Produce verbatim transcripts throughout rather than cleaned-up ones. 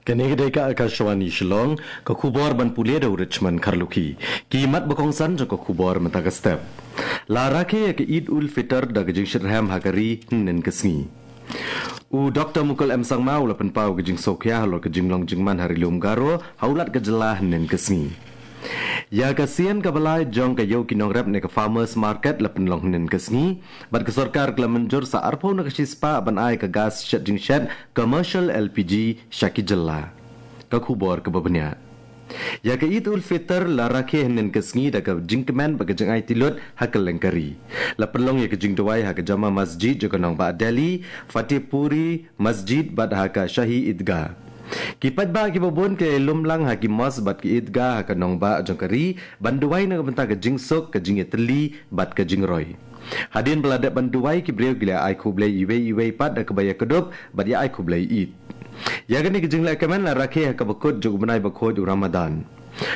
Kane ka dei ka Akashvani Shillong, ka khubor ban pule da u Richmond Kharlukhi. Ki mat ba kongsan jong ka khubor mynta ka step. La rakhe ïa ka Eid ul Fitr da ka jingshitrhem ha ka ri hynnin ka sngi. U Doktor Mukul M Sangma u la pynpaw ka jingsngewkhia halor ka jinglong jingman ha Ri Lum Garo ha u Lat ka jylla hynnin ka sngi. Ïa ka sien kaba lai jong ka Ïew ki Nongrep ne ka Farmers Market la pynlong hynnin ka sngi, bad ka sorkar ka la mynjur sa arphew na ka shispah ban ai ka gas shet jingshet commercial L P G sha ki jylla. Ka khubor kaba bniah. Ïa ka Eid ul Fitr la rakhe hynnin ka sngi da ka jingkmen bad ka jingaiti lut ha kylleng ka ri. La pynlong ïa ka jingduwai ha ka Jama Masjid jong ka nongbah Delhi, Fatehpuri Masjid bad ha ka Shahi Idgah. Ki paidbah kiba bun ki la ïalum lang ha ki mosque bad ki idgah ha ka nongbah jong ka ri ban duwai na ka bynta ka jingsuk, ka jingïatylli bad ka jingroi. Hadien ba la dep ban duwai, ki briew ki la ai khublei iwei ïa iwei pat da kaba ïakdup bad ïa ai khublei Eid. Ïa kane ka jinglehkmen la rakhe ha kaba kut jong u bnai bakhuid u Ramadan.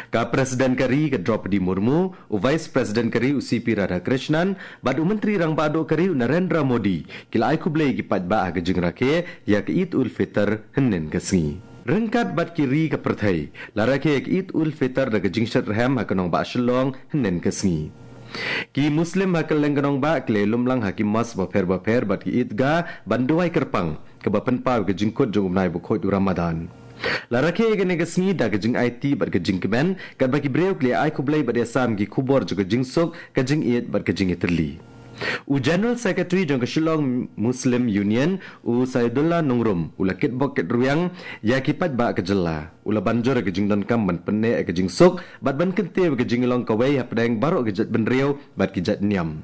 Ka President ka ri ka Droupadi Murmu, u Vice President ka ri u C P Radhakrishnan, bad u Myntri Rangbah Duh ka ri u Narendra Modi ki la ai khublei ïa ki paidbah ha ka jingrakhe ïa ka Eid ul Fitr hynnin ka sngi. Ryngkat bad ki ri ka pyrthei, la rakhe ïa ka Eid ul Fitr da ka jingshitrhem ha ka nongbah Shillong hynnin ka sngi. Ki Muslim ha kylleng ka nongbah ki la ïalum lang ha ki mosque bapher bapher bad ki idgah ban duwai kyrpang, kaba pynpaw ïa ka jingkut jong u bnai bakhuid u Ramadan. La rakhe ïa kane ka sngi da ka jingaiti bad ka jingkmen, katba ki briew ki la ai khublei bad ïasam ki khubor jong ka jingsuk, ka jingïeit bad ka jingïatylli. U General Secretary jong ka Shillong Muslim Union, u Saidullah Nongrum, u la kitbok kitrwiang ïa ki paidbah ka jylla. U la ban jur ïa ka jingdonkam ban pynneh ïa ka jingsuk bad ban kyntiew ïa ka jinglong kawei hapdeng baroh ki jaitbynriew bad ki jaitniam.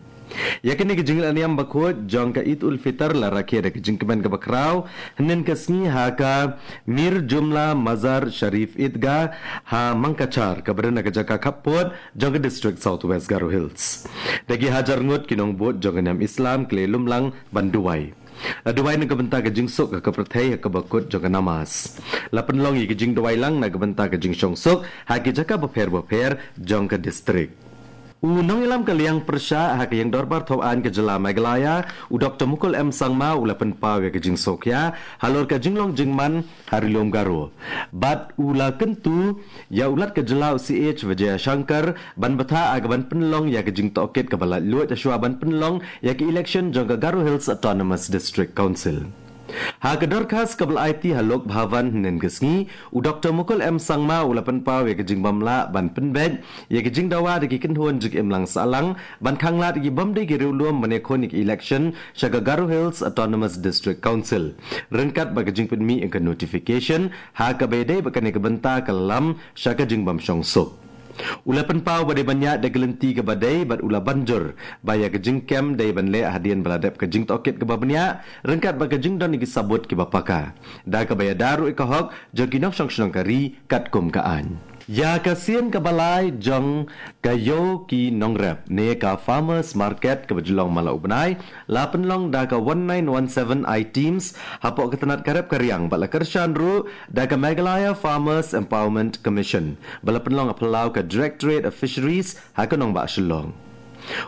Ïa kane ka jinglehniam bakhuid jong ka Eid ul Fitr la rakhe da ka jingkmen kaba khraw hynnin ka sngi ha ka Mir Jumla Mazar Sharif Idgah ha Mangkachar, kaba don ha ka jaka khappud jong ka District South West Garo Hills. Da ki hajar ngut ki nongbud jong ka niam Islam ki la ïalum lang ban duwai. La duwai na ka bynta ka jingsuk ha ka pyrthei ha kaba kut jong ka namas. La pynlong ïa ka jingduwai lang na ka bynta ka jingshongsuk ha ki jaka bapher bapher jong ka district. U nongïalam ka liang pyrshah ha ka Ïing Dorbar Thawaiñ ka jylla Meghalaya, u Doktor Mukul M Sangma, u la pynpaw ïa ka jingsngewkhia halor ka jinglong jingman ha Ri Lum Garo. Bad u la kyntu ïa u Lat ka jylla u C H Vijayashankar ban bthah ha kaban pynlong ïa ka jingtohkit kaba laitluid shuwa ban pynlong ïa ka election jong ka Garo Hills Autonomous District Council. Ha ka dorkhas kaba la aiti ha Lok Bhavan hynnin ka sngi, u Doktor Mukul M Sangma u la pynpaw ïa ka jingbymlah ban pynbeit ïa ka jingdawa da ki kynhun jingimlang sahlang ban khanglad ïa ki bym dei ki riewlum ban ïakhun ïa ka election sha ka Garo Hills Autonomous District Council, ryngkat bad ka jingpynmih ïa ka notification ha kaba ïadei bad kane ka bynta ka lam sha ka jingbymshongsuk. U la pynpaw ba dei ban ïaid da ka lynti kaba dei bad u la ban jur ba ïa ka jingkem dei ban leh hadien ba la dep ka jingtohkit kaba bniah, ryngkat bad ka jingdon ïa ki sabut kiba paka, da kaba ïada ruh ïa ka hok jong ki nongshong shnong ka ri katkum ka aiñ. Ïa ka sien kaba lai jong ka Ïew ki Nongrep ne ka Farmers Market kaba ju long man la u bnai, la pynlong da ka one nine one seven I Teams hapoh ka tnat ka rep ka riang bad la kyrshan ruh da ka Meghalaya Farmers Empowerment Commission, ba la pynlong ha phyllaw ka Directorate of Fisheries ha ka nongbah Shillong.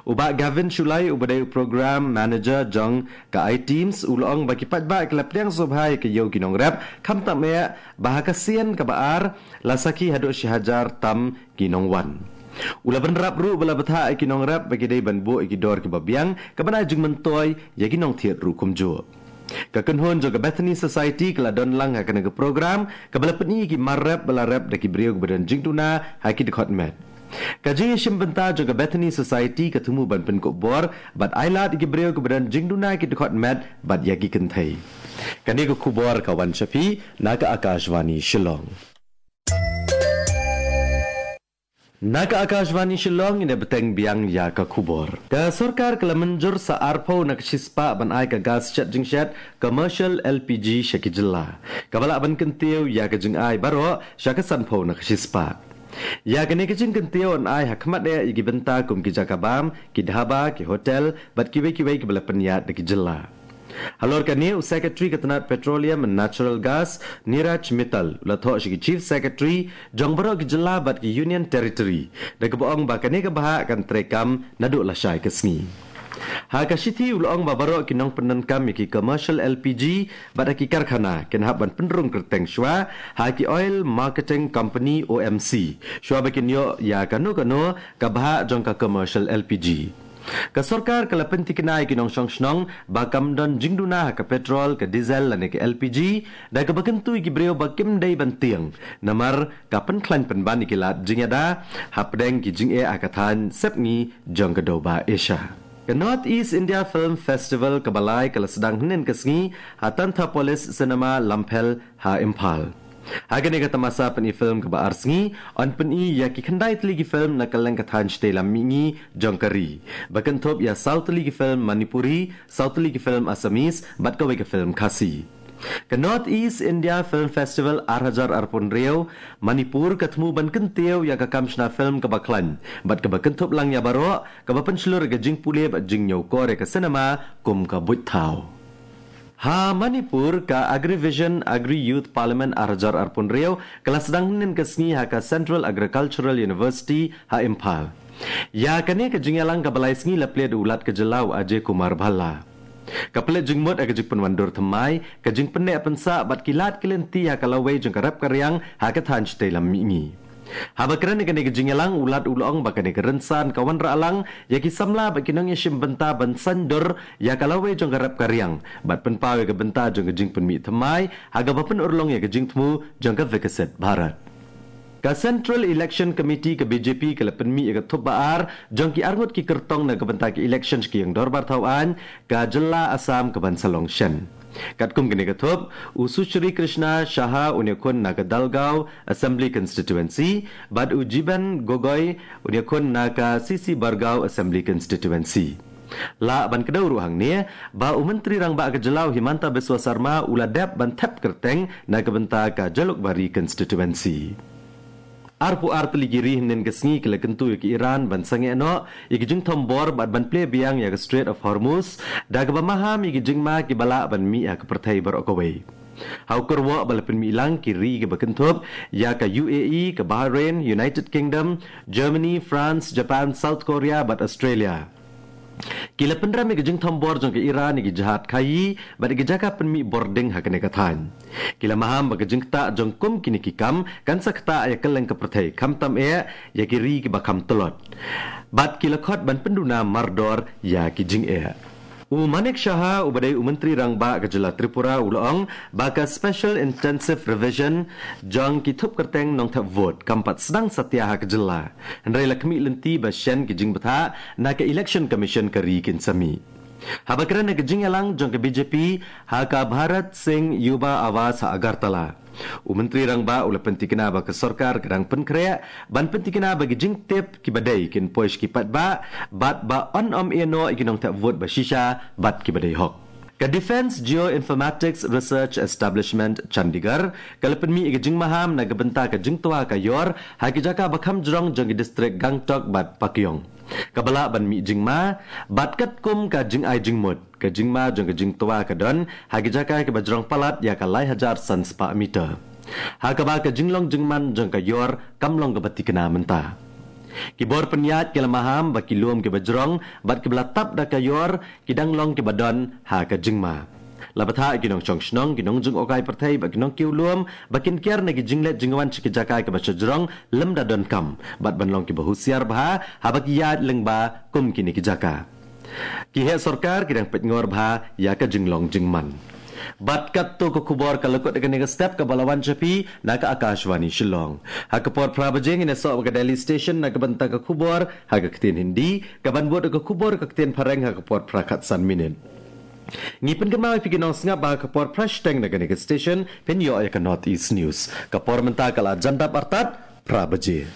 U Bah Gavin Shullai, uba dei u Program Manager jong ka I Teams, u la ong ba ki paidbah ki la pdiang sngewbha ïa ka Ïew ki Nongrep, khamtam eh ba ha ka sien kaba ar la sakhi haduh shi hajar tam ki nongwan. U la bynrap ruh ba la bthah ïa ki nongrep ba ki dei ban buh ïa ki dor kiba biang, kaban ai jingmyntoi ïa ki nongthied ruh kumjuh. Ka kynhun jong ka Bethany Society ka la don lang ha kane ka program, kaba la pyni ïa ki mar rep ba la rep da ki briew kiba don jingduna ha ki dkhot met. Ka jingïashim bynta jong ka Bethany Society ka thmu ban pynkup bor bad ai lad ïa ki briew kiba don jingduna ha ki dkhot met bad ïa ki kynthei. Kane ka khubor ka wan sha phi na ka Akashvani Shillong. Na ka Akashvani Shillong, ngin ïa bteng biang ïa ka khubor. Ka sorkar ka la mynjur sa arphew na ka shispah ban ai ka gas shet jingshet commercial L P G sha ki jylla, kaba lah ban kyntiew ïa ka jingai baroh sha ka sanphew na ka shispah. Ïa kane ka jingkyntiew yn ai ha khmat eh ïa ki bynta kum ki jaka bam, ki dhaba, ki hotel bad kiwei kiwei kiba la pynïaid da ki jylla. Halor kane, u Secretary ka tnat Petroleum and Natural Gas, Neeraj Mittal, u la thoh sha ki Chief Secretary jong baroh ki jylla bad ki Union Territory, da kaba ong ba kane ka bhah kan treikam naduh lashai ka sngi. Ha ka shithi u la ong ba baroh ki nongpyndonkam ïa ki commercial L P G bad ha ki karkhana kin hap ban pynrung kyrteng shuwa ha ki Oil Marketing Company O M C shuwa ba kin ïoh ïa kano kano ka bhah jong ka commercial L P G. Ka sorkar ka la pyntikna ïa ki nongshong shnong ba kam don jingduna ha ka petrol, ka diesel lane ka L P G da kaba kyntu ïa ki briew ba kim dei ban tieng namar ka pynkhlaiñ pynban ïa ki lad jingïada hapdeng ki jingeh ha ka thaiñ sepngi jong ka dewbah Asia. Ka North East India Film Festival kaba lai ka la sdang hynnin ka sngi ha Tanthapolis Cinema Lamphel ha Imphal. Ha kane ka tamasa pyni film kaba ar sngi, yn pyni ïa ki khyndai tylli ki film na kylleng ka thaiñ shatei lam mihngi jong ka ri, ba kynthup ïa saw tylli ki film Manipuri, saw tylli ki film Assamese bad kawei ka film Khasi. Ka North East India Film Festival ar hajar arphew hynriew, Manipur ka thmu ban kyntiew ïa ka kam shna film kaba khlaiñ bad kaba kynthup lang ïa baroh, kaba pynshlur ïa ka jingpule bad jingñiewkor ïa ka cinema kum ka buit thaw. Ha Manipur, ka Agrivision Agri Youth Parliament ar hajar arphew hynriew ka la sdang hynnin ka sngi ha ka Central Agricultural University ha Imphal. Ïa kane ka jingïalang kaba lai sngi la plie da u Lat ka jylla u Ajay Kumar Bhalla. Ka pynleit jingmut ha ka jingpynwandur thymmai, ka jingpynneh pynsah bad ki lad ki lynti ha ka lawei jong ka rep ka riang ha ka thaiñ shatei lam mihngi. Haba kren ha kane ka jingïalang, u Lat u la ong ba kane ka rynsan ka wanrah lang ïa ki samla bad ki nongïashim bynta ban saiñdur ïa ka lawei jong ka rep ka riang bad pynpaw ïa ka bynta jong ka jingpynmih thymmai ha kaba pynurlong ïa ka jingthmu jong ka Viksit Bharat. Ka Central Election Committee ka B J P ka la pynmih ïa ka thup ba ar jong ki arngut ki kyrtong na ka bynta ka election sha ka ïing dorbar thaw aiñ ka jylla Assam kaban sa long shen. Katkum kane ka thup, u Sushri Krishna Shah un ïakhun na ka Dalgaon Assembly Constituency bad u Jiben Gogoi un ïakhun na ka C C Bargaon Assembly Constituency. Lah ban kdew ruh hangne ba u Myntri Rangbah ka jylla u Himanta Biswa Sarma u la dep ban thep kyrteng na ka bynta ka Jalukbari Constituency. Arphew ar tylli ki ri hynnin ka sngi ki la kyntu ïa ka Iran ban sangeh noh ïa ki jingthombor bad ban plie biang ïa ka Strait of Hormuz da kaba maham ïa ki jingma kiba lah ban mih ha ka pyrthei baroh kawei. Ha u kyrwoh ba la pynmih lang, ki ri kiba kynthup ïa ka U A E, ka Bahrain, United Kingdom, Germany, France, Japan, South Korea bad Australia ki la pynrem ïa ka jingthombor jong ka Iran ïa ki jahaj khaii bad ïa ki jaka pynmih bording ha kane ka thaiñ. Ki la maham ba ka jingktah jong kum kine ki kam kan sa ktah ïa kylleng ka pyrthei, khamtam eh ïa ki ri kiba kham tlot. Bad ki la khot ban pynduna mardor ïa ki jingeh. U Manik Saha uba dei u Myntri Rangbah ka jylla Tripura u la ong ba ka Special Intensive Revision jong ki thup kyrteng nongthep vote kam pat sdang satia ha ka jylla. Hynrei la khmih lynti ba shen ki jingbthah na ka Election Commission ka ri kin sa mih. Haba kren ha ka jingïalang jong ka B J P ha ka Bharat Singh Yuva Awas ha Agartala, u Myntri Rangbah u la pyntikna ba ka sorkar ka dang pynkhreh ban pyntikna ba ki jingtip kiba dei kin poi sha ki paidbah bad ba yn ym ïehnoh ïa ki nongthep vote ba shisha bad kiba dei hok. Ka Defence Geoinformatics Research Establishment, Chandigarh ka la pynmih ïa ka jingmaham na ka bynta ka jingtwa ka ïor ha ki jaka ba kham jrong jong ki distrik Gangtok bad Pakyong, kaba lah ban mih jingma bad katkum ka jingai jingmut, ka jingma jong ka jingtwa ka don ha ki jaka kiba jrong palat ïa ka lai hajar san spah meter, ha kaba ka jinglong jingman jong ka ïor kam long kaba thikna mynta. Ki bor pynïaid ki la maham ba ki lum kiba jrong bad kiba la tap da ka ïor ki dang long kiba don ha ka jingma. La bthah ïa ki nongshong shnong, ki nongjngohkai pyrthei bad ki nongkiew lum ba kin kiar na ki jingleit jingwan sha ki jaka kiba shajrong lymda donkam bad ban long kiba husiar bha haba ki ïaid lyngba kum kine ki jaka. Ki heh sorkar ki dang peitngor bha ïa ka jinglong jingman. Bad katto ka khubor ka la kut ha kane ka step kaba la wan sha phi na ka Akashvani Shillong. Ha ka por phra baje ngin ïasoh bad ka Delhi Station na ka bynta ka khubor ha ka ktien Hindi, kaban bud ka khubor ha ka ktien Phareng ha ka por phra khatsan minit. Ngi pynkynmaw ïa phi ki nongsngap ba ha ka por phra shiteng na kane ka station phin ïoh ïa ka North East News. Ka por mynta ka la jan dap artat phra baje.